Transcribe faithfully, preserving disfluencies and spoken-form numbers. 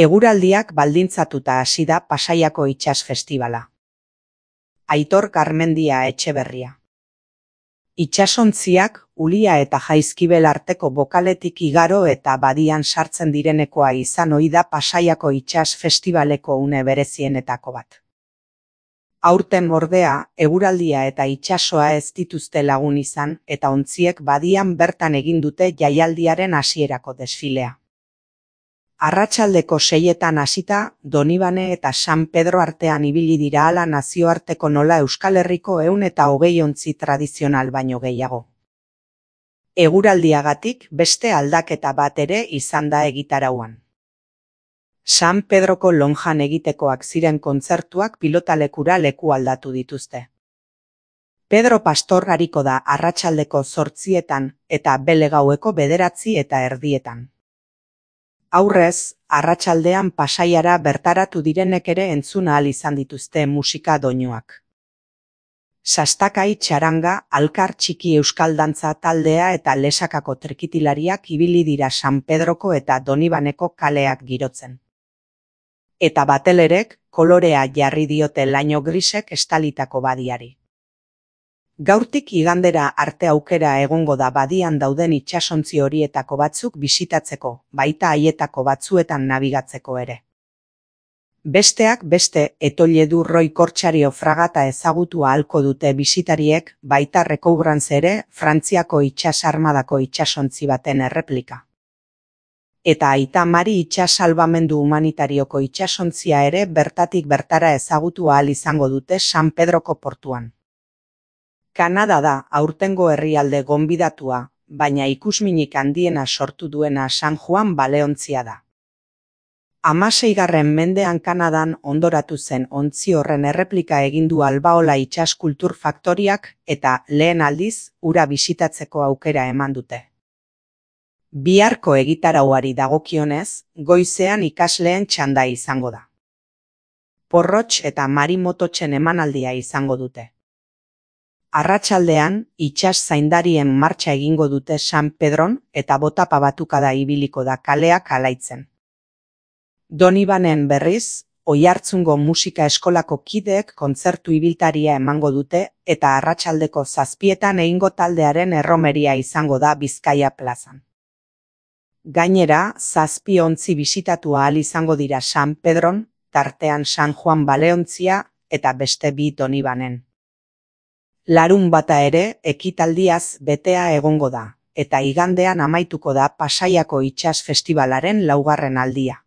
Eguraldiak baldintzatuta hasi da Pasaiako itsas festibala. Aitor Garmendia Etxeberria. Itsasontziak Ulia eta Jaizkibel arteko bokaletik igaro eta badian sartzen direnekoa izan ohi da Pasaiako itsas festibaleko une berezienetako bat. Aurten ordea, eguraldia eta itsasoa ez dituzte lagun izan eta ontziek badian bertan egin dute jaialdiaren hasierako desfilea. Arratsaldeko seietan hasita, Donibane eta San Pedro artean ibili dira hala nazioarteko nola Euskal Herriko ehun eta hogei ontzi tradizional baino gehiago. Eguraldiagatik beste aldaketa bat ere izan da egitarauan. San Pedroko lonjan egitekoak ziren kontzertuak pilotalekura leku aldatu dituzte. Pedro Pastor ariko da arratsaldeko zortzietan eta bele gaueko bederatzi eta erdietan. Aurrez, arratsaldean Pasaiara bertaratu direnek ere entzun ahal izan dituzte musika doinuak. Sastakai txaranga, Alkar Txiki euskal dantza taldea eta Lesakako trikitilariak ibili dira San Pedroko eta Donibaneko kaleak girotzen. Eta batelerek kolorea jarri diote laino grisek estalitako badiari. Gaurtik igandera arte aukera egongo da badian dauden itsasontzi horietako batzuk bisitatzeko, baita haietako batzuetan nabigatzeko ere. Besteak beste, Etoiledu Roi Kortsario fragata ezagutu ahalko dute bisitariek, baita Recouvrance ere, Frantziako itsas armadako itsasontzi baten erreplika. Eta Aita Mari itsas salbamendu humanitarioko itsasontzia ere bertatik bertara ezagutu ahal izango dute San Pedroko portuan. Kanada da aurtengo herrialde gonbidatua, baina ikusminik handiena sortu duena San Juan baleontzia da. Hamaseigarren mendean Kanadan ondoratu zen ontzi horren erreplika egin du Albaola itsas kultur faktoriak eta lehen aldiz hura bisitatzeko aukera eman dute. Biharko egitarauari dagokionez, goizean ikasleen txanda izango da. Porrotx eta marimototxen emanaldia izango dute. Arratsaldean, itsas zaindarien martxa egingo dute San Pedron eta botapa batukada ibiliko da kaleak alaitzen. Donibanen berriz, Oiartzungo musika eskolako kideek kontzertu ibiltaria emango dute eta arratsaldeko zazpietan egingo taldearen erromeria izango da Bizkaia plazan. Gainera, zazpi ontzi bisitatu ahal izango dira San Pedron, tartean San Juan baleontzia eta beste bi Donibanen. Larun bata ere ekitaldiaz betea egongo da, eta igandean amaituko da Pasaiako itsas festibalaren laugarren aldia.